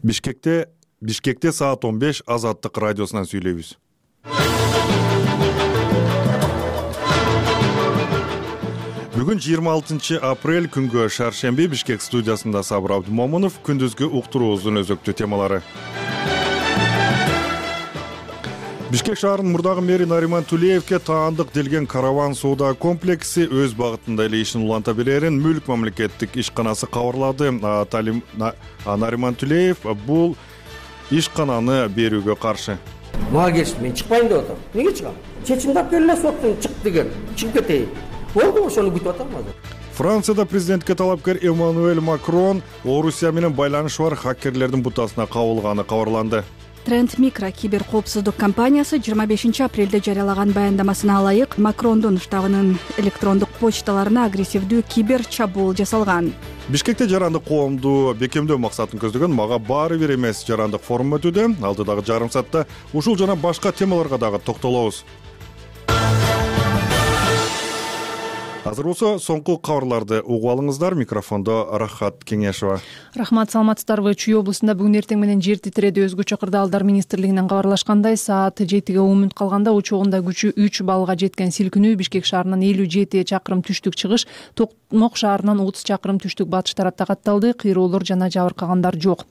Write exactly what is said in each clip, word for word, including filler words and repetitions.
Бишкекте Бишкекте саат он беш Азаттык радиосунан сүйлөйбүз. Бүгүн жыйырма алтынчы апрель күнгө шаршемби. Бишкек студиясында Сабыр Абдумомунов. Күндүзгү уктуруубуздун өзөктүү темалары. Бишкек шаарынын мурдагы мэри Нариман Тулеевке таандык делген караван соода комплекси өз багытында эле ишин уланта берерин Мүлк мамлекеттик ишканасы кабарлады. Нариман Тулеев бул ишкананы берүүгө каршы. Мага келишти, мен чыкпайм деп атам. Эмнеге чыгам? Чечимди алып келе соттун чык деген. Чыгып кетейин. Болду, ошону күтүп атам азыр. Францияда президентке талапкер Эммануэль Макрон Орусия менен байланышы бар хакерлердин бутасына кабылганы кабарланды. Тренд Micro кибер коопсуздук компаниясы жыйырма бешинчи апрелде жарыялаган баяндамасына ылайык Макрондун штабынын электрондук почталарына агрессивдүү кибер чабуул жасалган. Бишкекте жарандык коомду бекемдөө максатын көздөгөн Мага баары бир эмес жарандык форум өтүүдө. Алдыдагы жарым саатта ушул жана башка темаларга дагы токтолобуз. Азыр болсо соңку кабарларды угуп алыңыздар. Микрофондо Рахат Кеңешова. Рахмат, саламатсыздарбы? Чүй облусунда бүгүн эртең менен жер титиреди. Өзгөчө кырдаалдар министрлигинен кабарлашкандай, саат жетиге он мүнөт калганда учогунда күчү үч баллга жеткен силкинүү Бишкек шаарынан элүү жети чакырым түштүк чыгыш, Токмок шаарынан отуз чакырым түштүк батыш тарапта катталды. Кыйроолор жана жабыркагандар жок.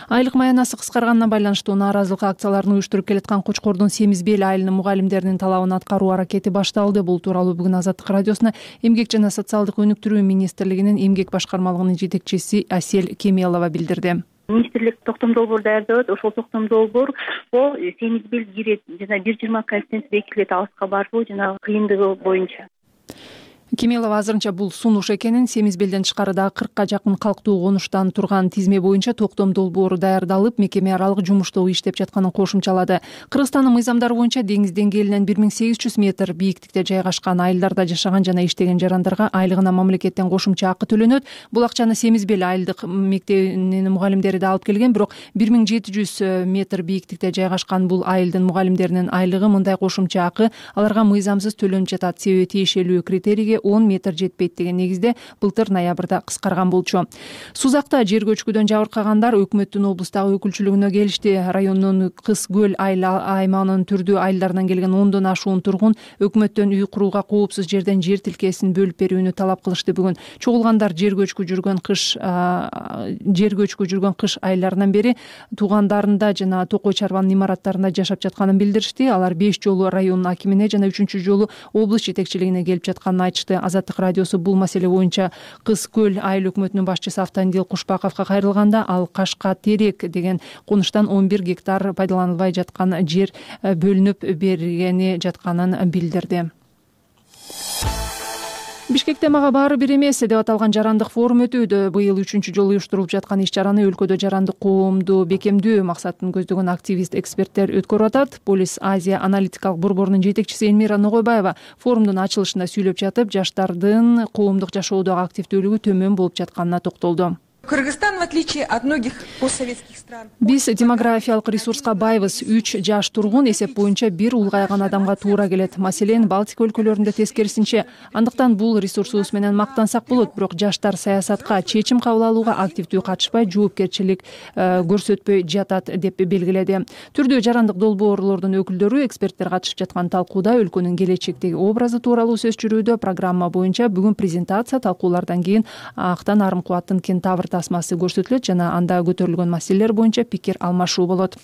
Айлык маянасы кыскарганына байланыштуу нааразылык акцияларын уюштуруп келаткан Кочкордун Семизбел айылынын мугалимдеринин талабын аткаруу аракети башталды. Бул тууралуу бүгүн Азаттык радиосуна Эмгек жана социалдык өнүктүрүү министрлигинин эмгек башкармалыгынын жетекчиси Асель Кемелова билдирди. Министрлик токтом долбоор даярдап, ошол токтом долбоор бул Семизбел кирет жана бир жыйырма коэффициент бекитилет алыска баруу жана кыйындыгы боюнча. Кемелова азырынча бул сунуш экенин, Семизбелден тышкарыда кыркка жакын калктуу конуштан турган тизме боюнча токтом долбоору даярдалып, мекеме аралык жумуштоо иштеп жатканын кошумчалады. Кыргызстандын мыйзамдары боюнча деңиз деңгээлинен бир миң сегиз жүз метр бийиктикте жайгашкан айылдарда жашаган жана иштеген жарандарга айлыгына мамлекеттен кошумча акы төлөнөт. Бул акчаны Семизбел айылдык мектебинин мугалимдери да алып келген, бирок бир миң жети жүз метр бийиктикте жайгашкан бул айылдын мугалимдеринин айлыгы мындай кошумча акы аларга мыйзамсыз төлөнүп жатат. Себеби тиешелүү критерийге он метр жетпейт деген негизде былтыр ноябрда кыскарган болчу. Сузакта жер көчкүдөн жабыркагандар өкмөттүн облустагы өкүлчүлүгүнө келишти. Райондун Кыз көл айыл аймагынын түрдүү айылдарынан келген ондон ашуун тургун өкмөттөн үй курууга коопсуз жерден жер тилкесин бөлүп берүүнү талап кылышты. Бүгүн чогулгандар жер көчкү жүргөн кыш жер көчкү жүргөн кыш айларынан бери туугандарында жана токой чарбанын имараттарында жашап жатканын билдиришти. Алар беш жолу районун акимине жана үчүнчү жолу облус жетекчилигине келип жатканын айтышты. Азаттык радиосу бул маселе боюнча Кыз көл айыл өкмөтүнүн башчысы Автандил Кушпаковго кайрылганда, ал Кашка Терек деген конуштан он бир гектар пайдаланылбай жаткан жер бөлүнүп бергени жатканын билдирди. Бишкекте мага баары бир эмес деп аталган жарандык форум өтүүдө. Быйыл үчүнчү жолу уюштурулуп жаткан иш-чараны өлкөдө жарандык коомду бекемдөө максатын көздөгөн активист эксперттер өткөрүп атат. Полис Азия аналитикалык борборунун жетекчиси Элмира Ногойбаева форумдун ачылышында сүйлөп жатып, жаштардын коомдук жашоодогу активдүүлүгү төмөн болуп жатканына токтолду. Кыргызстан, в отличие от многих постсоветских стран, биз демографиялык ресурска байбыз. Үч жаш тургун эсеп боюнча бир улгайган адамга туура келет. Маселен, Балтика өлкөлөрүндө тескерисинче. Андыктан бул ресурсубуз менен мактансак болот, бирок жаштар саясатка, чечим кабыл алууга активдүү катышпай, жоопкерчилик көрсөтпөй жатат деп белгиледи. Түрдүү жарандык долбоорлордун өкүлдөрү, эксперттер катышып жаткан талкууда өлкөнүн келечектеги образы тууралуу сөз жүрүүдө. Программа боюнча бүгүн презентация, талкуулардан кийин Актан Арым Кубаттын кентавр тасмасы көрсөтүлөт жана анда көтөрүлгөн маселелер боюнча пикир алмашуу болот.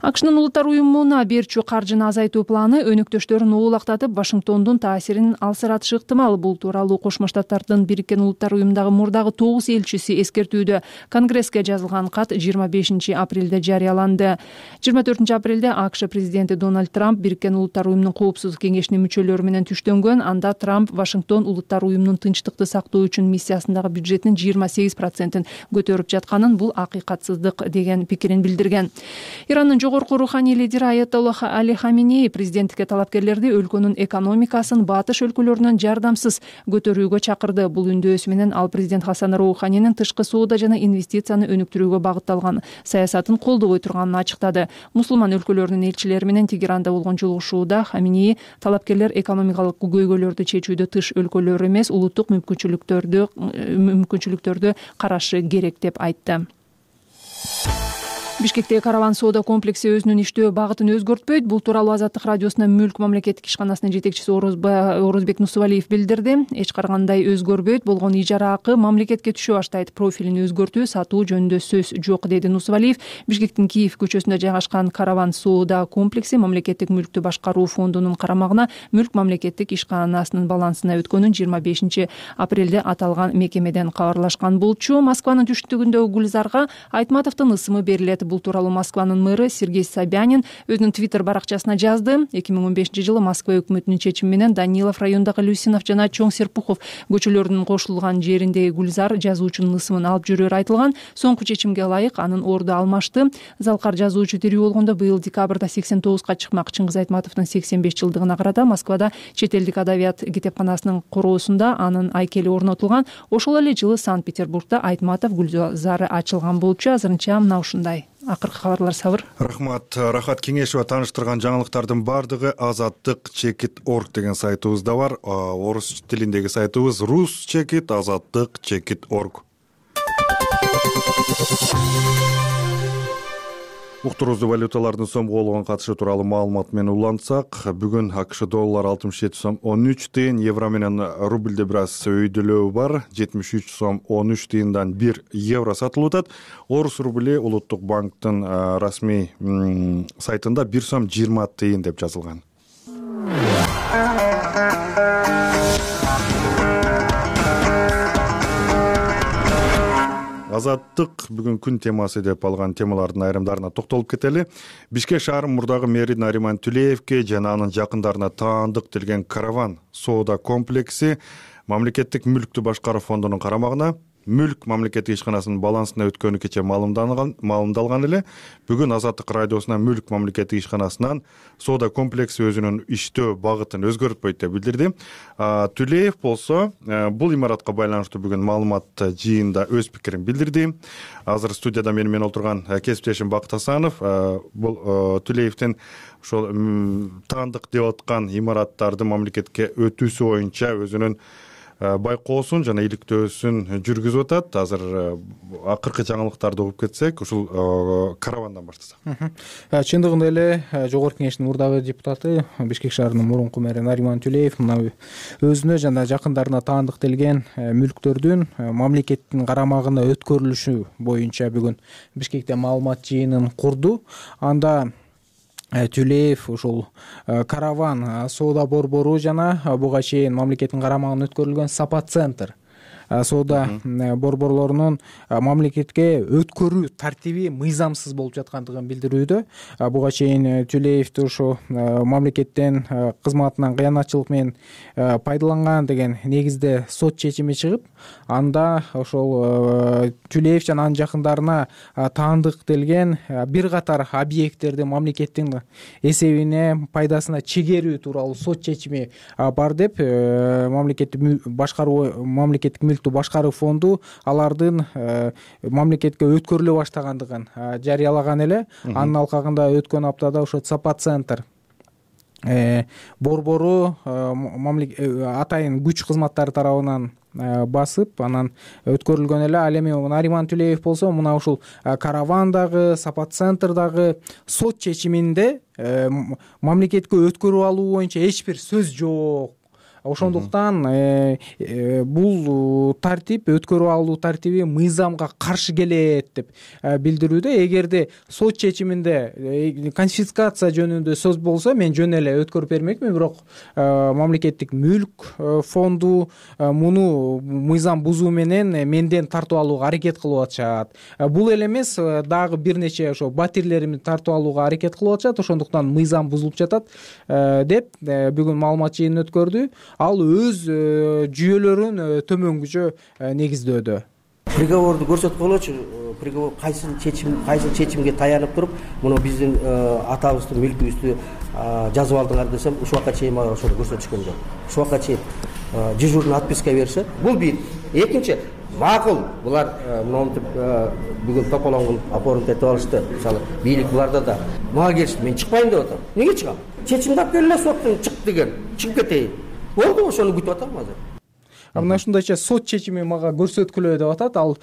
АКШнын улуттар уюмуна берчү каржыны азайтуу планы өнөктөштөрүн оолактатып, Вашингтондун таасирин алсыратышы ыктымал. Бул тууралуу Кошмо Штаттардын Бириккен Улуттар уюмундагы мурдагы тогуз элчиси эскертүүдө. Конгресске жазылган кат жыйырма бешинчи апрелде жарыяланды. жыйырма төртүнчү апрелде АКШ президенти Дональд Трамп Бириккен Улуттар уюмунун коопсуздук кеңешинин мүчөлөрү менен түштөнгөн. Анда Трамп Вашингтон Улуттар уюмунун тынчтыкты сактоо үчүн миссиясындагы бюджеттин жыйырма сегиз процентин көтөрүп жатканын, бул акыйкатсыздык деген пикирин билдирген. Ирандын жогорку руханий лидери Аятоллах Али Хаминеи президенттикке талапкерлерди өлкөнүн экономикасын батыш өлкөлөрүнөн жардамсыз көтөрүүгө чакырды. Бул үндөөсү менен ал президент Хасан Роуханинин тышкы соода жана инвестицияны өнүктүрүүгө багытталган саясатын колдобой турганын ачыктады. Мусулман өлкөлөрүнүн элчилери менен Тегеранда болгон жолугушууда Хаминеи талапкерлер экономикалык көйгөйлөрдү чечүүдө тыш өлкөлөр эмес, улуттук мүмкүнчүлүктөрдү мүмкүнчүлүктөрдү карашы керек деп айтты. Бишкектеги Караван соода комплекси өзүнүн иштөө багытын өзгөртпөйт. Бул тууралуу Азаттык радиосуна Мүлк мамлекеттик ишканасынын жетекчиси Орозбек Нусубалиев билдирди. Эч кандай өзгөрбөйт, болгон ижара акы мамлекетке түшө баштайт. Профилин өзгөртүү, сатуу жөнүндө сөз жок, деди Нусубалиев. Бишкектин Киев көчөсүндө жайгашкан Караван соода комплекси мамлекеттик мүлктү башкаруу фондунун карамагына Мүлк мамлекеттик ишканасынын балансына өткөнүн жыйырма бешинчи апрелде аталган мекемеден кабарлашкан болчу. Москванын түштүгүндөгү Гүлзарга Айтматовдун ысымы берилет. Бул тууралуу Москванын мэры Сергей Собянин өзүнүн Твиттер баракчасына жазды. эки миң он бешинчи жылы Москва өкмөтүнүн чечими менен Данилов районундагы Люсинов жана Чоң Серпухов көчөлөрүнүн кошулган жериндеги Гүлзар жазуучунун ысымын алып жүрөөрү айтылган. Соңку чечимге ылайык анын орду алмашты. Залкар жазуучу тирүү болгондо быйыл декабрда сексен тогузга чыкмак. Чыңгыз Айтматовдун сексен беш жылдыгына карата Москвада чет элдик адабият китепканасынын короосунда анын айкели орнотулган. Ошол эле жылы Санкт-Петербургда Айтматов Гүлзары ачылган болчу. Азырынча мына ушундай. Акыркы кабарлар Сабыр. Рахмат. Рахат Кеңешева тааныштырган жаңылыктардын баардыгы азаттык чекит точка орг деген сайтыбызда бар. Орус тилиндеги сайтыбыз рус чекит азаттык чекит точка орг. Уктуруздуу валюталардын сомго болгон катышы тууралуу маалымат менен улантсак, бүгүн АКШ доллар алтымыш жети сом он үч тыйын, евро менен рубльде бир аз өйдөлөө бар, жетимиш үч сом он үч тыйындан бир евро сатылып атат. Орус рубли Улуттук банктын расмий сайтында бир сом жыйырма тыйын деп жазылган. Азаттык бүгүн күн темасы деп алган темалардын айрымдарына токтолуп кетели. Бишкек шаарынын мурдагы мэри Нариман Тулеевке жана анын жакындарына таандык делген Караван соода комплекси мамлекеттик мүлктү башкаруу фондунун карамагына Мүлк мамлекеттик ишканасынын балансына өткөнү кече маалымдалган маалымдалган эле. Бүгүн Азаттык радиосуна Мүлк мамлекеттик ишканасынан соода комплекси өзүнүн иштөө багытын өзгөртпөйт деп билдирди. Тулеев болсо бул имаратка байланыштуу бүгүн маалымат жыйынында өз пикирин билдирди. Азыр студияда мени менен отурган кесиптешим Бакыт Асанов бул Тулеевдин ошол таандык деп аткан имараттардын мамлекетке өтүүсү боюнча өзүнүн байкоосун жана иликтөөсүн жүргүзүп атат. Азыр акыркы жаңылыктарды угуп кетсек, ушул Каравандан баштасак. Чындыгында эле Жогорку Кеңештин мурдагы депутаты, Бишкек шаарынын мурунку мэри Нариман Тулеев мына өзүнө жана жакындарына таандык делген мүлктөрдүн мамлекеттин карамагына өткөрүлүшү боюнча бүгүн Бишкекте маалымат жыйынын курду. Анда Тулеев ушул Караван соода борбору жана буга чейин мамлекеттин карамагына өткөрүлгөн Сапа центр соода борборлорунун мамлекетке өткөрүү тартиби мыйзамсыз болуп жаткандыгын билдирүүдө. Буга чейин Тулеевди ушу мамлекеттен кызматынан кыянатчылык менен пайдаланган деген негизде сот чечими чыгып, анда ошол Тулеев жана анын жакындарына таандык делген бир катар объекттерди мамлекеттин эсебине пайдасына чегерүү тууралуу сот чечими бар деп мамлекеттик башкаруу мамлекеттик башкаруу фонду алардын мамлекетке өткөрүлө баштагандыгын жарыялаган эле. Анын алкагында өткөн аптада ошо Сапа центр борбору атайын күч кызматтары тарабынан басып анан өткөрүлгөн эле. Ал эми Нариман Тулеев болсо мына ушул Каравандагы Сапа центрдагы сот чечиминде мамлекетке өткөрүп алуу боюнча эч бир сөз жок. Ошондуктан бул тартип, өткөрүп алуу тартиби мыйзамга каршы келет деп билдирүүдө. Эгерде сот чечиминде конфискация жөнүндө сөз болсо, мен жөн эле өткөрүп бермекмин, бирок мамлекеттик мүлк фонду муну мыйзам бузуу менен менден тартып алууга аракет кылып атышат. Бул эле эмес, дагы бир нече ошо батирлеримди тартып алууга аракет кылып атышат. Ошондуктан мыйзам бузулуп жатат деп бүгүн маалымат жыйынын өткөрдү. Ал өз жүйөлөрүн төмөнгүчө негиздөөдө. Приговорду көрсөткөнөчү, приговор кайсы чечим, кайсы чечимге таянып туруп, муну биздин атабыздын мүлкүбүздү жазып алдыңар десем, ушул убакка чейин мага ошону көрсөтүшкөн жок. Ушул убакка чейин дежурный отписка беришет. Бул бир. Экинчи, макул, булар монтип бүгүн тополоңун опорун тетип алышты. Мисалы, бийлик буларда да мага келишти, мен чыкпайм деп атам. Неге чыгам? Чечимди алып келе соттун чык деген, чыгып кетейин. Болду, ошону күтүп атам азыр. мына ушундайча сот чечими мага көрсөткүлө деп атат. Ал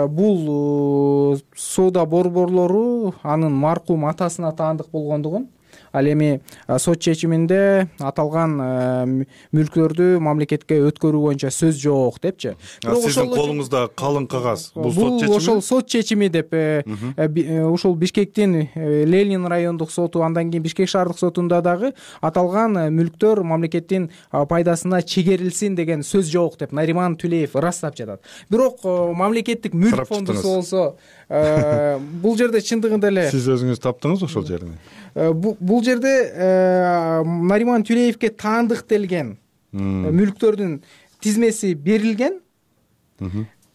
бул соода борборлору анын маркум атасына таандык болгондугун, ал эми сот чечиминде аталган мүлктөрдү мамлекетке өткөрүү боюнча сөз жок депчи. Сиздин колуңузда калың кагаз. Бул сот чечими. Бул ошол сот чечими деп ушул Бишкектин Ленин райондук соту, андан кийин Бишкек шаардык сотунда дагы аталган мүлктөр мамлекеттин пайдасына чегерилсин деген сөз жок деп Нариман Түлеев ырастап жатат. Бирок мамлекеттик мүлк фондусу болсо бул жерде чындыгында эле сиз өзүңүз таптыңыз ошол жерди. Бул жерде Нариман Түлеевке таандыктелген мүлктөрдүн тизмеси берилген.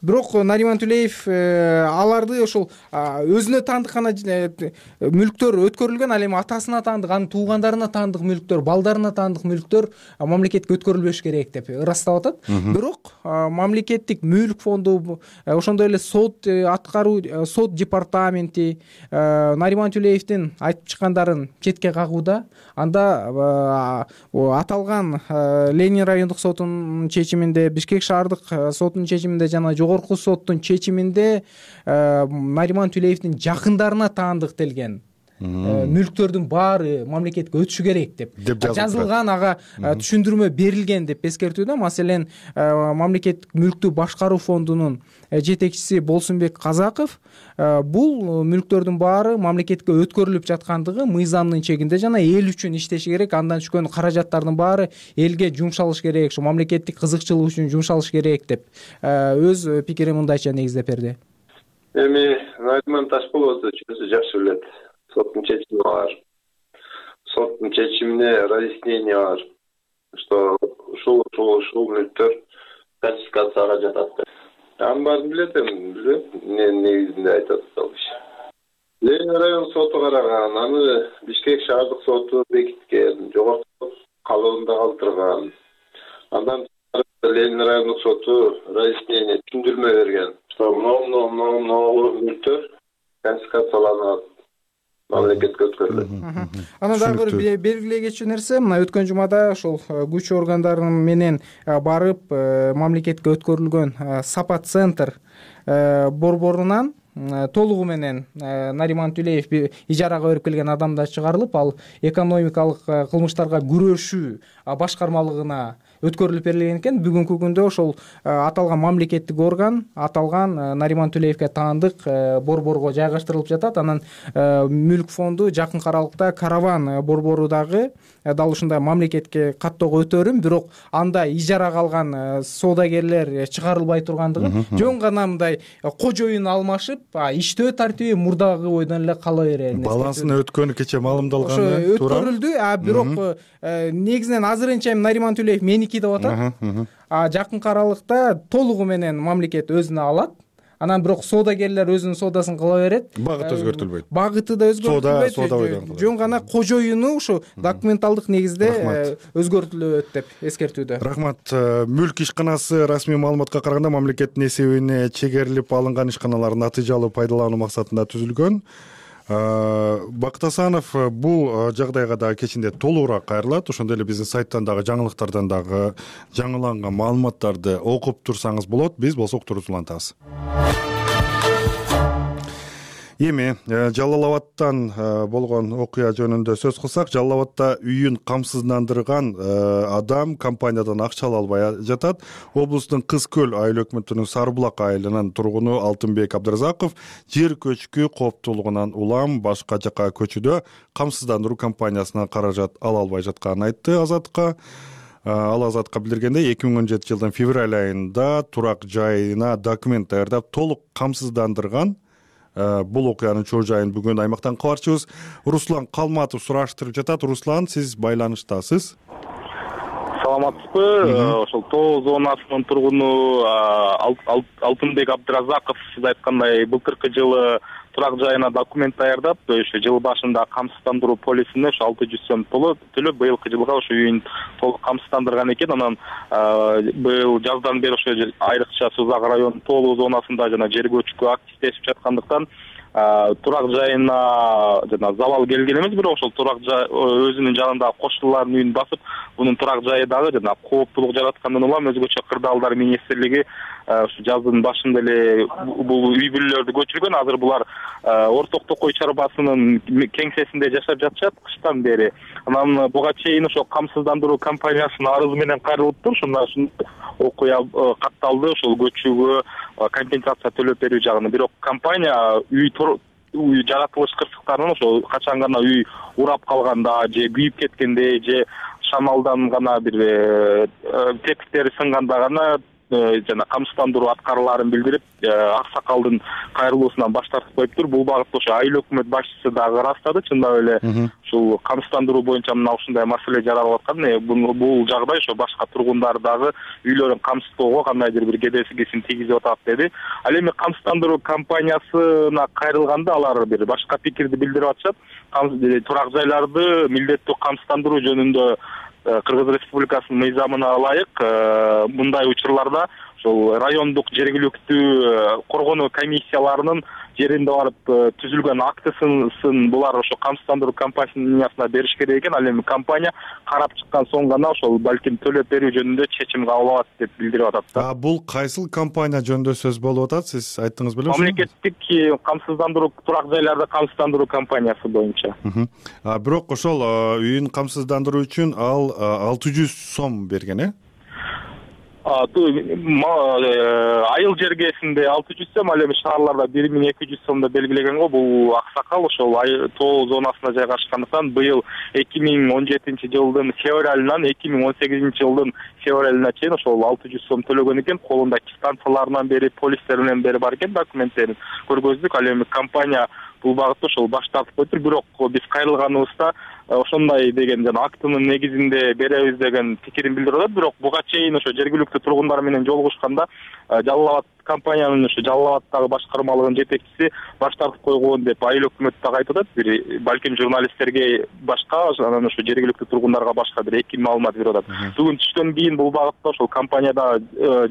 Бирок Нариман Түлеев аларды ошол өзүнө таандык гана мүлктөр өткөрүлгөн, ал эми атасына таандык, анын туугандарына таандык мүлктөр, балдарына таандык мүлктөр мамлекетке өткөрүлбөш керек деп ырастап атат. Бирок мамлекеттик мүлк фонду, ошондой эле сот аткаруу сот департаменти Нариман Түлеевдин айтып чыккандарын четке кагууда. Анда аталган Ленин райондук сотунун чечиминде, Бишкек шаардык сотунун чечиминде жана жогорку соттун чечиминде Нариман Түлеевдин жакындарына таандыктелген мүлктөрдүн баары мамлекетке өтүшү керек деп жазылган, ага түшүндүрмө берилген деп эскертүүдө. Маселен, мамлекеттик мүлктү башкаруу фондунун жетекчиси Болсунбек Казаков бул мүлктөрдүн баары мамлекетке өткөрүлүп жаткандыгы мыйзамдын чегинде жана эл үчүн иштеши керек, андан түшкөн каражаттардын баары элге жумшалыш керек, ушу мамлекеттик кызыкчылык үчүн жумшалыш керек деп өз пикирин мындайча негиздеп берди. Эми Нариман Ташполовду өзү жакшы билет. Соттун чечими бар. Соттун чечимине разъяснение бар, что ушул ушул ушул мүлктөр конфискацияга жатат деп. Анын баарын билет эми, билет эмне негизинде айтып атат. Ленин район соту караган, аны Бишкек шаардык соту бекиткен, жогорку сот калыбында калтырган. Андан Ленин райондук соту разъяснение, түшүндүрмө берген, что мына мына мына мүлктөр конфискацияланат, мамлекетке өткөрүлөт. Анан дагы бир белгилей кетчү нерсе, мына өткөн жумада ошол күч органдары менен барып мамлекетке өткөрүлгөн Сапа центр борборунан толугу менен Нариман Түлеев ижарага берип келген адамдар чыгарылып, ал экономикалык кылмыштарга күрөшүү башкармалыгына өткөрүлүп берилген экен. Бүгүнкү күндө ошол аталган мамлекеттик орган аталган Нариман Түлеевке таандык борборго жайгаштырылып жатат. Анан мүлк фонду жакын аралыкта Караван борбору дагы дал ушундай мамлекетке каттоого өтөрүм, бирок анда ижарага алган соодагерлер чыгарылбай тургандыгы, жөн гана мындай кожоюн алмашып, иштөө тартиби мурдагы бойдон эле кала берерин. Балансын өткөнү кече маалымдалганы туура. Өткөрүлдү, бирок негизинен азырынча Нариман Түлеев меники деп атат. А жакын аралыкта толугу менен мамлекет өзүнө алат. Анан бирок соодагерлер өзүнүн соодасын кыла берет. Багыт өзгөртүлбөйт. Багыты да өзгөртүлбөйт. Жөн гана кожоюну ушу документалдык негизде өзгөртүлөт деп эскертүүдө. Рахмат. Мүлк ишканасы расмий маалыматка караганда мамлекеттин эсебине чегерилип алынган ишканалар натыйжалуу пайдалануу максатында түзүлгөн. Бакыт Асанов бул жагдайга дагы кечинде толугураак кайрылат. Ошондой эле биздин сайттан дагы жаңылыктардан дагы жаңыланган маалыматтарды окуп турсаңыз болот. Биз болсо уктуруусун улантабыз. Эми Жалал Абадтан болгон окуя жөнүндө сөз кылсак, Жалал Абадта үйүн камсыздандырган адам компаниядан акча ала албай жатат. Облустун Кыз Көл айыл өкмөтүнүн Сарыбулак айылынын тургуну Алтынбек Абдыразаков жер көчкү кооптуулугунан улам башка жака көчүүдө камсыздандыруу компаниясынан каражат ала албай жатканын айтты Азатка. Ал Азатка билдиргендей, эки миң он жетинчи жылдын февраль айында турак жайына документ даярдап толук камсыздандырган. Бул окуянын чоо жайын бүгүн аймактан кабарчыбыз Руслан Калматов сураштырып жатат. Руслан, сиз байланыштасыз. Саламатсызбы? Ошол Тоо зонасынын тургуну Алтынбек Абдыразаков сиз айткандай былтыркы жылы турак жайына документ даярдап, ошо жыл башында камсыздандыруу полисине ошо алты жүз сом төлөп, быйылкы жылга ошо үйүн толук камсыздандырган экен. Анан быйыл жаздан бери ошо айрыкча Сузак районунун Тоолуу зонасында жана жер көчкү активдешип жаткандыктан турак жайына жана залал келген эмес, бирок ошол турак жай өзүнүн жанындагы кошуналардын үйүн басып, мунун турак жайы дагы жана кооптулук жараткандан улам өзгөчө кырдаалдар министрлиги ушу жаздын башында эле бул үй бүлөлөрдү көчүргөн. Азыр булар Орток Токой чарбасынын кеңсесинде жашап жатышат кыштан бери. Анан буга чейин ошо камсыздандыруу компаниясынын арызы менен кайрылыптыр. Ошондо окуя катталды ошол көчүүгө компенсация төлөп берүү жагына. Бирок компания үй үй жаратылыш кырсыктарынан ошо качан гана үй урап калганда же күйүп кеткенде же шамалдан гана бир тетиктери сынганда гана жана камсыздандыруу аткарууларын билдирип аксакалдын кайрылуусунан баш тартып коюптур. Бул багытта ошо айыл өкмөт башчысы дагы ырастады. Чындап эле ушул камсыздандыруу боюнча мына ушундай маселе жаралып аткан. Бул жагдай ошо башка тургундар дагы үйлөрүн камсыздоого кандайдыр бир кедергисин тийгизип атат деди. Ал эми камсыздандыруу компаниясына кайрылганда алар бир башка пикирди билдирип атышат. Турак жайларды милдеттүү камсыздандыруу жөнүндө Кыргыз Республикасынын мыйзамына ылайык мындай учурларда ошол райондук жергиликтүү коргонуу комиссияларынын жеринде барып түзүлгөн актысын булар ошо камсыздандыруу компаниясына бериш керек экен. Ал эми компания карап чыккан соң гана ошол балким төлөп берүү жөнүндө чечим кабыл алат деп билдирип атат да. А бул кайсыл компания жөнүндө сөз болуп атат? Сиз айттыңыз беле? Мамлекеттик камсыздандыруу турак жайларды камсыздандыруу компаниясы боюнча. А бирок ошол үйүн камсыздандыруу үчүн ал алты жүз сом берген, э? Айыл жергесинде алты жүз сом, ал эми шаарларда бир миң эки жүз сомдо белгилеген го. Бул аксакал ошол тоо зонасына жайгашкандыктан быйыл эки миң он жетинчи жылдын февралынан эки миң он сегизинчи жылдын февралына чейин ошол алты жүз сом төлөгөн экен. Колунда станцияларынан бери, полистеринен бери бар экен, документтерин көргөздүк. Ал эми компания бул багытта ошол баш тартып коюптур. Бирок биз кайрылганыбызда ошондой деген жана актынын негизинде беребиз деген пикирин билдирип атат. Бирок буга чейин ошо жергиликтүү тургундар менен жолугушканда Жалал Абад компаниянын ошо Жалал Абаддагы башкармалыгынын жетекчиси баш тартып койгон деп айыл өкмөт дагы айтып атат. Бир балким журналисттерге башка, анан ошо жергиликтүү тургундарга башка бир эки маалымат берип атат. Бүгүн түштөн кийин бул багытта ошол компанияда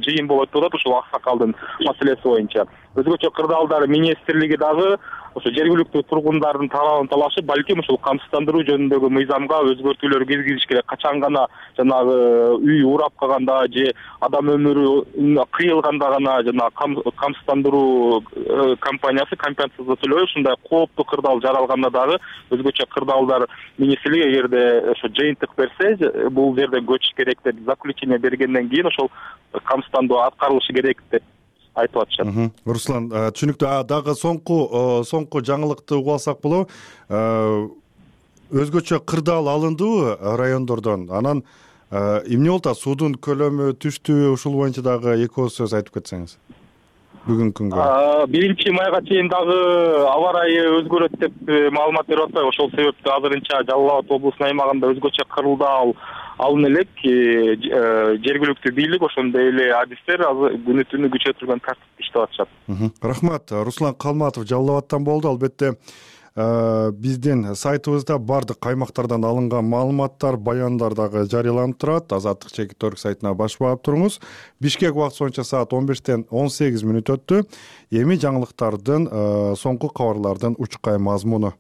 жыйын болот деп атат ошол аксакалдын маселеси боюнча. Өзгөчө кырдаалдар министрлиги дагы ошо жергиликтүү тургундардын талабын талашып, балким ошол камсыздандыруу жөнүндөгү мыйзамга өзгөртүүлөр киргизиш керек. Качан гана жанагы үй урап калганда же адам өмүрү кыйылганда гана жана камсыздандыруу компаниясы компенсация төлөбөй. Ушундай кооптуу кырдаал жаралганда дагы өзгөчө кырдаалдар министрлиги эгерде ошо жыйынтык берсе, бул жерден көчүш керек деп заключение бергенден кийин ошол камсыздандыруу аткарылышы керек деп айтып атышат. Руслан, түшүнүктүү. Дагы соңку соңку жаңылыкты угуп алсак болобу? Өзгөчө кырдаал алындыбы райондордон? Анан эмне болду? Суудун көлөмү түштүбү? Ушул боюнча дагы эки ооз сөз айтып кетсеңиз. Бүгүнкү күнгө. биринчи майга чейин дагы аба ырайы өзгөрөт деп маалымат берип атпайбы? Ошол себептен азырынча Жалал Абад облусунун аймагында өзгөчө кырдаал алын элек. Жергиликтүү бийлик ошондой эле адистер азыр күнү түнү күчөтүлгөн тартипте иштеп атышат. Рахмат. Руслан Калматов Жалал Абадтан болду. Албетте биздин сайтыбызда бардык аймактардан алынган маалыматтар, баяндар дагы жарыяланып турат. Азаттык чекит орг сайтына баш баап туруңуз. Бишкек убакыты боюнча саат он бештен он сегиз мүнөт өттү. Эми жаңылыктардын соңку кабарлардын учкай мазмуну.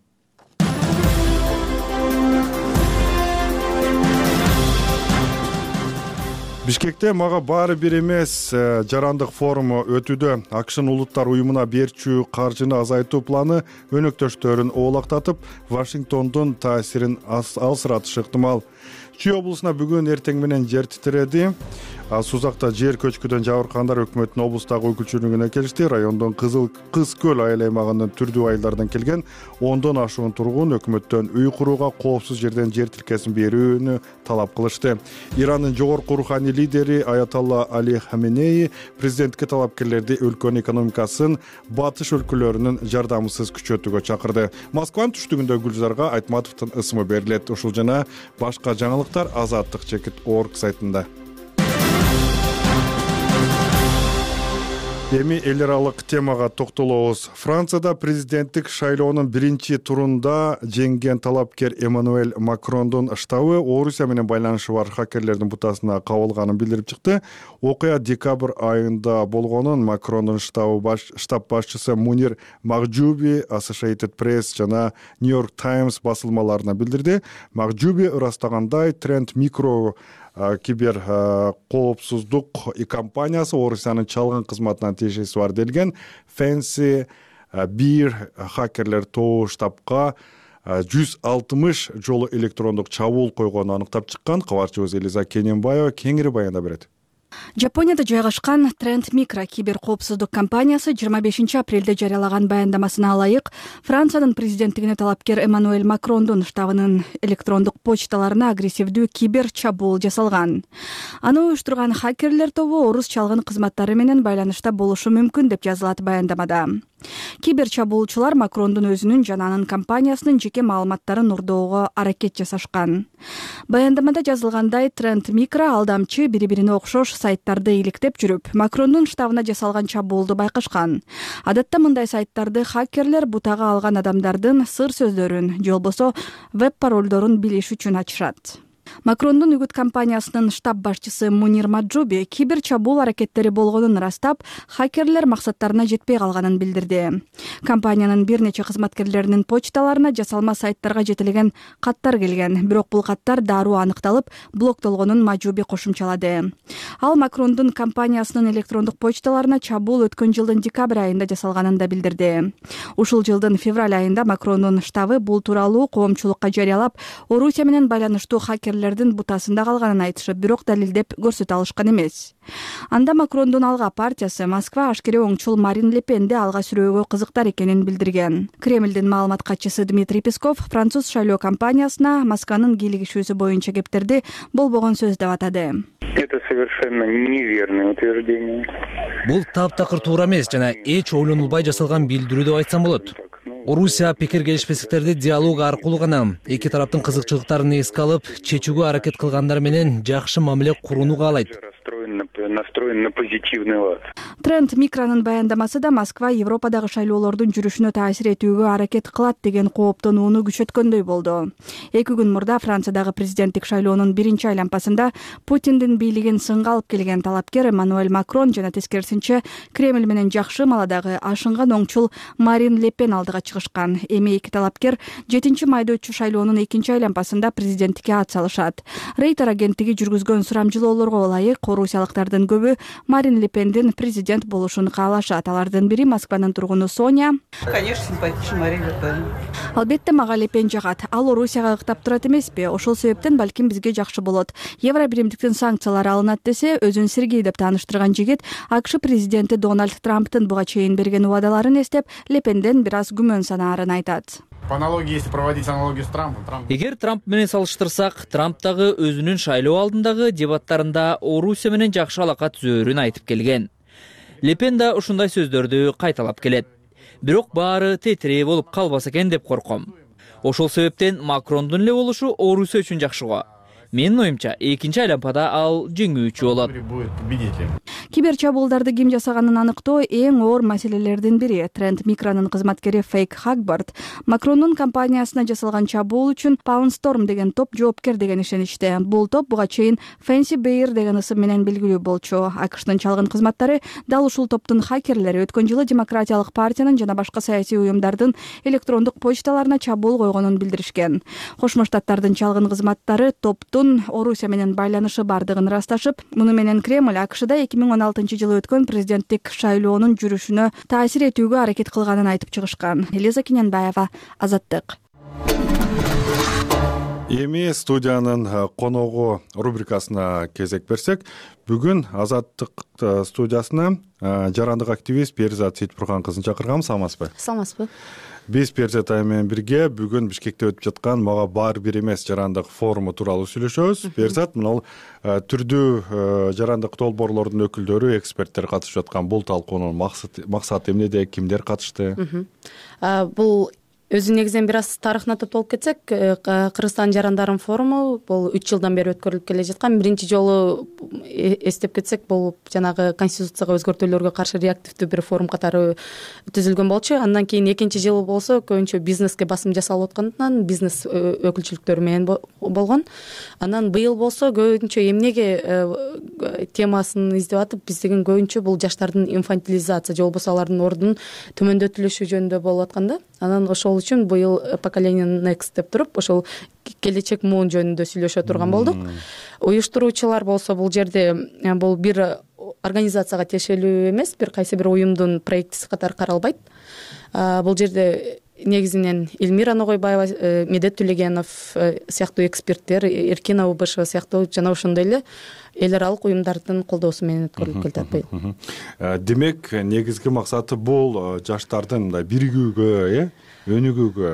Бишкекте мага баары бир эмес жарандык форуму өтүүдө. АКШнын улуттар уюмуна берчүү каржыны азайтуу планы өнөктөштөрүн оолактатып, Вашингтондун таасирин алсыратышы ыктымал. Чүй облусуна бүгүн эртең менен жер титиреди. Сузакта жер көчкүдөн жабыркагандар өкмөттүн облустагы өкүлчүлүгүнө келишти. Райондун Кызыл Кыз көл айыл аймагынын түрдүү айылдарынан келген ондон ашуун тургун өкмөттөн үй курууга коопсуз жерден жер тилкесин берүүнү талап кылышты. Ирандын жогорку руханий лидери Аятолла Али Хаменеи президентке талапкерлерди өлкөнүн экономикасын батыш өлкөлөрүнүн жардамысыз күчөтүүгө чакырды. Москванын түштүгүндө Гүлзарга Айтматовдун ысымы берилет. Ушул жана башка жаңылыктар азаттык чекит орг сайтында. Эми эл аралык темага токтолобуз. Францияда президенттик шайлоонун биринчи турунда жеңген талапкер Эммануэль Макрондун штабы Орусия менен байланышы бар хакерлердин бутасына кабылганын билдирип чыкты. Окуя декабрь айында болгонун Макрондун штабы баш, штаб башчысы Мунир Махджуби Associated Press жана New York Times басылмаларына билдирди. Махджуби ырастагандай Trend Micro кибер коопсуздук компаниясы Орусиянын чалгын кызматына тиешеси бар делген Fancy Bear хакерлер тобу штабка жүз алтымыш жолу электрондук чабуул койгонун аныктап чыккан. Кабарчыбыз Элиза Кененбаева кеңири баяндап берет. Жапонияда жайгашкан Trend Micro кибер коопсуздук компаниясы жыйырма бешинчи апрелде жарыялаган баяндамасына ылайык Франциянын президенттигине талапкер Эммануэль Макрондун штабынын электрондук почталарына агрессивдүү кибер чабуул жасалган. Аны уюштурган хакерлер тобу орус чалгын кызматтары менен байланышта болушу мүмкүн деп жазылат баяндамада. Кибер чабуулчулар Макрондун өзүнүн жана анын компаниясынын жеке маалыматтарын урдоого аракет жасашкан. Баяндамада жазылгандай, Trend Micro алдамчы бири-бирине окшош сайттарды иликтеп жүрүп, Макрондун штабына жасалган чабуулду байкашкан. Адатта мындай сайттарды хакерлер бутага алган адамдардын сыр сөздөрүн, же болбосо веб-паролдорун билиш үчүн ачышат. Макрондун үгүт компаниясынын штаб башчысы Мунир Махджуби кибер чабуул аракеттери болгонун ырастап, хакерлер максаттарына жетпей калганын билдирди. Компаниянын бир нече кызматкерлеринин почталарына жасалма сайттарга жетелеген каттар келген, бирок бул каттар дароо аныкталып, блоктолгонун Махджуби кошумчалады. Ал Макрондун компаниясынын электрондук почталарына чабуул өткөн жылдын декабрь айында жасалганын да билдирди. Ушул жылдын февраль айында Макрондун штабы бул тууралуу коомчулукка жарыялап, Орусия менен байланыштуу хакерлер бутасында калганын айтышып, бирок далилдеп көрсөтө алышкан эмес. Анда Макрондун Алга партиясы Москва ашкере оңчул Марин Ле Пенди алга сүрөөгө кызыктар экенин билдирген. Кремлдин маалымат катчысы Дмитрий Песков француз шайлоо компаниясына Москванын кийлигишүүсү боюнча кептерди болбогон сөз деп атады. Это совершенно неверное утверждение. Бул таптакыр туура эмес жана эч ойлонулбай жасалган билдирүү деп айтсам болот. Орусия пикир келишпестиктерди диалог аркылуу гана эки тараптын кызыкчылыктарын эске алып, чечүүгө аракет кылгандар менен жакшы мамиле курууну каалайт. Настроен на позитивный лад. Trend Micro'нун баяндамасы да Москва Европадагы шайлоолордун жүрүшүнө таасир этүүгө аракет кылат деген кооптонууну күчөткөндөй болду. Эки күн мурда Франциядагы президенттик шайлоонун биринчи айланпасында Путиндин бийлигин сынга алып келген талапкер Эммануэль Макрон жана тескерисинче Кремль менен жакшы маладагы ашынган оңчул Марин Ле Пен алдыга чыгышкан. Эми эки талапкер жетинчи майда өтчү шайлоонун экинчи айланпасында президенттикке ат салышат. Рейтер агенттиги жүргүзгөн сурамжылоолорго ылайык орусиялыктардын көбү Марин Ле Пендин президент болушун каалашат. Алардын бири Москванын тургуну Соня. Конечно, симпатичный Марин Ле Пен. Албетте мага Ле Пен жагат. Ал Орусияга ыктап турат эмеспи? Ошол себептен балким бизге жакшы болот. Евробиримдиктин санкциялары алынат десе, өзүн Сергей деп тааныштырган жигит АКШ президенти Дональд Трамптын буга чейин берген убадаларын эстеп, Ле Пенден бир аз күмөн санаарын айтат. По аналогии, если проводить аналогию с Трампом, Трамп... Эгер Трамп менен салыштырсак, Трамп дагы өзүнүн шайлоо алдындагы дебаттарында Орусия менен жакшы алака түзөөрүн айтып келген. Ле Пен да ушундай сөздөрдү кайталап келет. Бирок баары тетирээ болуп калбаса экен деп корком. Ошол себептен Макрондун эле болушу Орусия үчүн жакшы го. Менин оюмча, экинчи айланпада ал жеңүүчү болот. Кибер чабуулдарды ким жасаганын аныктоо эң оор маселелердин бири. Trend Micro'нун кызматкери Фейк Хагбард Макрондун компаниясына жасалган чабуул үчүн Pound Storm деген топ жоопкер деген ишеничти. Бул топ буга чейин Fancy Bear деген ысым менен белгилүү болчу. АКШтын чалгын кызматтары дал ушул топтун хакерлери өткөн жылы Демократиялык партиянын жана башка саясий уюмдардын электрондук почталарына чабуул койгонун билдиришкен. Кошмо Штаттардын чалгын кызматтары топтун Орусия менен байланышы бардыгын ырасташып, муну менен Кремль АКШда эки миң он алтынчы жылы өткөн президенттик шайлоонун жүрүшүнө таасир этүүгө аракет кылганын айтып чыгышкан. Элиза Кененбаева, Азаттык. Эми студиянын коногу рубрикасына кезек берсек, бүгүн Азаттык студиясына жарандык активист Перизат Сейитбурхан кызын чакыргам. Саламатсызбы? Саламатсызбы. Биз Перизат айы менен бирге бүгүн Бишкекте өтүп жаткан мага бар бир эмес жарандык форуму тууралуу сүйлөшөбүз. Перизат, мына түрдүү жарандык долбоорлордун өкүлдөрү, эксперттер катышып жаткан бул талкуунун максаты эмнеде, кимдер катышты? Бул өзү негизинен бир аз тарыхына токтолуп кетсек, Кыргызстан жарандарынын форуму бул үч жылдан бери өткөрүлүп келе жаткан. Биринчи жолу эстеп кетсек, бул жанагы конституцияга өзгөртүүлөргө каршы реактивдүү бир форум катары түзүлгөн болчу. Андан кийин экинчи жылы болсо көбүнчө бизнеске басым жасалып аткандыктан бизнес өкүлчүлүктөрү менен болгон. Анан быйыл болсо көбүнчө эмнеге темасын издеп атып, биз деген көбүнчө бул жаштардын инфантилизация же болбосо алардын ордунун төмөндөтүлүшү жөнүндө болуп атканда. Анан ошол үчүн быйыл поколение next деп туруп, ошол келечек муун жөнүндө сүйлөшө турган болдук. Уюштуруучулар болсо бул жерде бул бир организацияга тиешелүү эмес, бир кайсы бир уюмдун проектиси катары каралбайт. Бул жерде негизинен Эльмира Ногойбаева, Медет Төлегенов сыяктуу эксперттер, Эркин Абубашева сыяктуу жана ошондой эле эл аралык уюмдардын колдоосу менен өткөрүлүп келатат быйыл. Демек, негизги максаты бул жаштардын мындай биригүүгө, э, өнүгүүгө.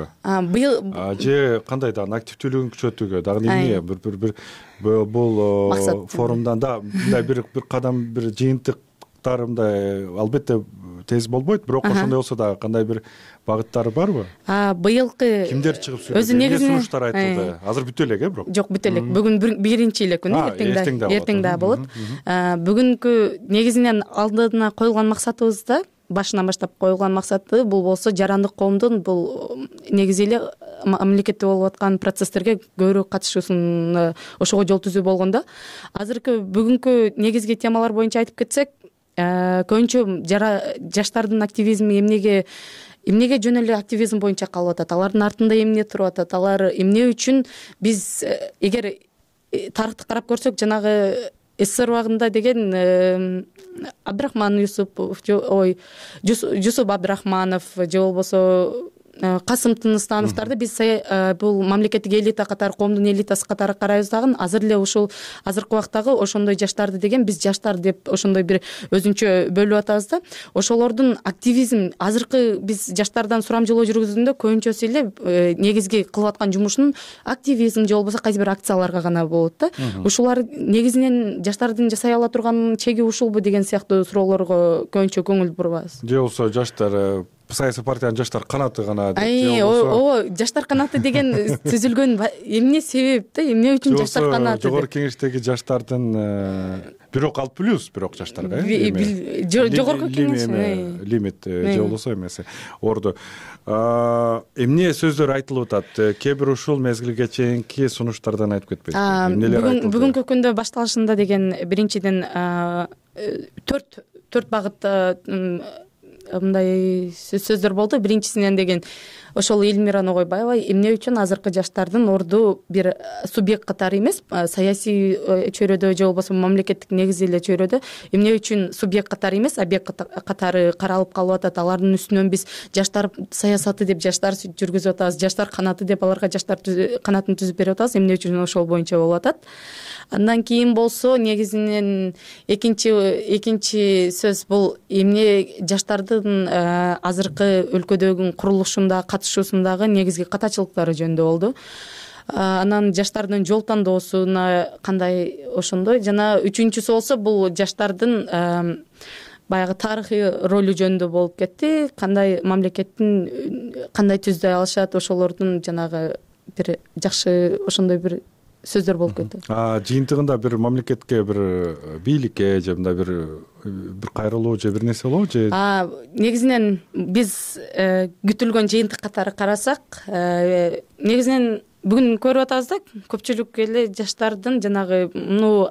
Быйыл же кандай дагы активдүүлүгүн күчөтүүгө дагы эмне бир бир бир бул форумдан да мындай бир бир кадам бир жыйынтыктар мындай албетте тез болбойт, бирок ошондой болсо дагы кандай бир багыттары барбы? Быйылкы кимдер чыгып сүйлөдү? Өзү негизинен сунуштар айтылды. Азыр бүтө элек, э, бирок. Жок, бүтө элек. Бүгүн биринчи эле күнү, эртең дагы болот. Бүгүнкү негизинен алдына коюлган максатыбыз да, башынан баштап коюлган максаты бул болсо жарандык коомдун бул негизи эле мамлекетте болуп аткан процесстерге көбүрөөк катышуусун ошого жол түзүү болгондо. Азыркы бүгүнкү негизги темалар боюнча айтып кетсек, көбүнчө жаштардын активизми эмнеге эмнеге жөн эле активизм боюнча калып атат, алардын артында эмне туруп атат, алар эмне үчүн биз эгер тарыхты карап көрсөк, жанагы СССР убагында деген Абдрахман Юсупов, ой, Жусуп Абдрахманов же болбосо Касым Тыныстановдарды биз бул мамлекеттик элита катары, коомдун элитасы катары карайбыз дагы. Азыр эле ушул азыркы убактагы ошондой жаштарды деген биз жаштар деп ошондой бир өзүнчө бөлүп атабыз да. Ошолордун активизм, азыркы биз жаштардан сурамжылоо жүргүзгөндө көбүнчөсү эле негизги кылып аткан жумушун активизм же болбосо кайсы бир акцияларга гана болот да. Ушулар негизинен жаштардын жасай ала турган чеги ушулбу деген сыяктуу суроолорго көбүнчө көңүл бурабыз. Же болбосо жаштар саясий партиянын жаштар канаты гана деп же болбосо ооба, жаштар канаты деген түзүлгөн эмне себеп да, эмне үчүн жаштар канаты? Жогорку кеңештеги жаштардын бирок ал плюс, бирок жаштарга жогорку кеңеш лимит же болбосо эмеси орду эмне сөздөр айтылып атат? Кээ бир ушул мезгилге чейинки сунуштардан айтып кетпейсизби? Эмнелер айтылды? Бүгүнкү күндө башталышында деген биринчиден төрт төрт багытта мындай сөздөр болду. Биринчисинен деген ошол Эльмира Ногойбаева эмне үчүн азыркы жаштардын орду бир субъект катары эмес, саясий чөйрөдө же болбосо мамлекеттик негизи эле чөйрөдө эмне үчүн субъект катары эмес, объект катары каралып калып атат? Алардын үстүнөн биз жаштар саясаты деп жаштар жүргүзүп атабыз, жаштар канаты деп аларга жаштар канатын түзүп берип атабыз. Эмне үчүн ошол боюнча болуп атат? Андан кийин болсо негизинен экинчи экинчи сөз бул эмне жаштардын азыркы өлкөдөгү курулушунда катышуусундагы негизги катачылыктары жөнүндө болду. Анан жаштардын жол тандоосуна кандай ошондой. Жана үчүнчүсү болсо бул жаштардын баягы тарыхый ролу жөнүндө болуп кетти. Кандай мамлекеттин кандай түздөй алышат, ошолордун жанагы бир жакшы ошондой бир сөздөр болуп кетти. Жыйынтыгында бир мамлекетке, бир бийликке же мындай бир бир кайрылуу же бир нерсе болобу же? Негизинен биз күтүлгөн жыйынтык катары карасак, негизинен бүгүн көрүп атабыз да, көпчүлүк эле жаштардын жанагы муну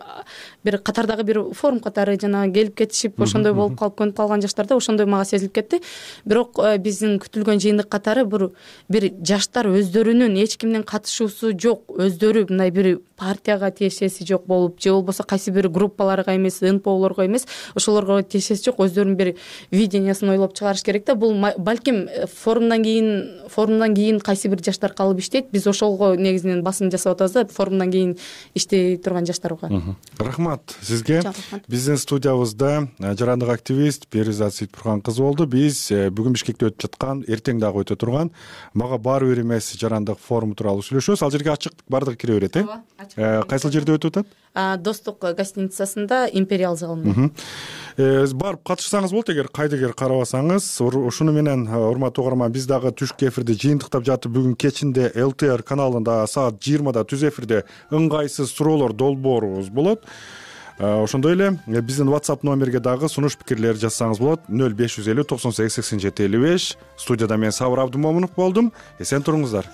бир катардагы бир форум катары жана келип кетишип ошондой болуп калып көнүп калган жаштарда ошондой мага сезилип кетти. Бирок биздин күтүлгөн жыйындык катары бир бир жаштар өздөрүнүн эч кимдин катышуусу жок, өздөрү мындай бир партияга тиешеси жок болуп же болбосо кайсы бир группаларга эмес, эн пэ олорго эмес, ошолорго тиешеси жок, өздөрүнүн бир видениясын ойлоп чыгарыш керек да. Бул балким форумдан кийин форумдан кийин кайсы бир жаштар калып иштейт. Биз ошолго негизинен басым жасап атабыз да, форумдан кийин иштей турган жаштарга. Рахмат сизге. Биздин студиябызда жарандык активист Перизат Сейитбурхан кызы болду. Биз бүгүн Бишкекте өтүп жаткан, эртең дагы өтө турган мага баары бир эмес жарандык форум тууралуу сүйлөшөбүз. Ал жерге ачык, баардыгы кире берет, э? Кайсыл жерде өтүп атат? достук гостиницасында империал залында барып катышсаңыз болот эгер кайдыгер карабасаңыз. Ушуну менен урматтуу угарман, биз дагы түшкү эфирди жыйынтыктап жатып, бүгүн кечинде эл тэ эр каналында саат жыйырмада түз эфирде ыңгайсыз суроолор долбоорубуз болот. Ошондой эле биздин WhatsApp номерге дагы сунуш пикирлер жазсаңыз болот. нөл беш жүз элүү токсон сегиз сексен жети элүү беш. Студияда мен Сабыр Абдымомунов болдум. Эсен туруңуздар.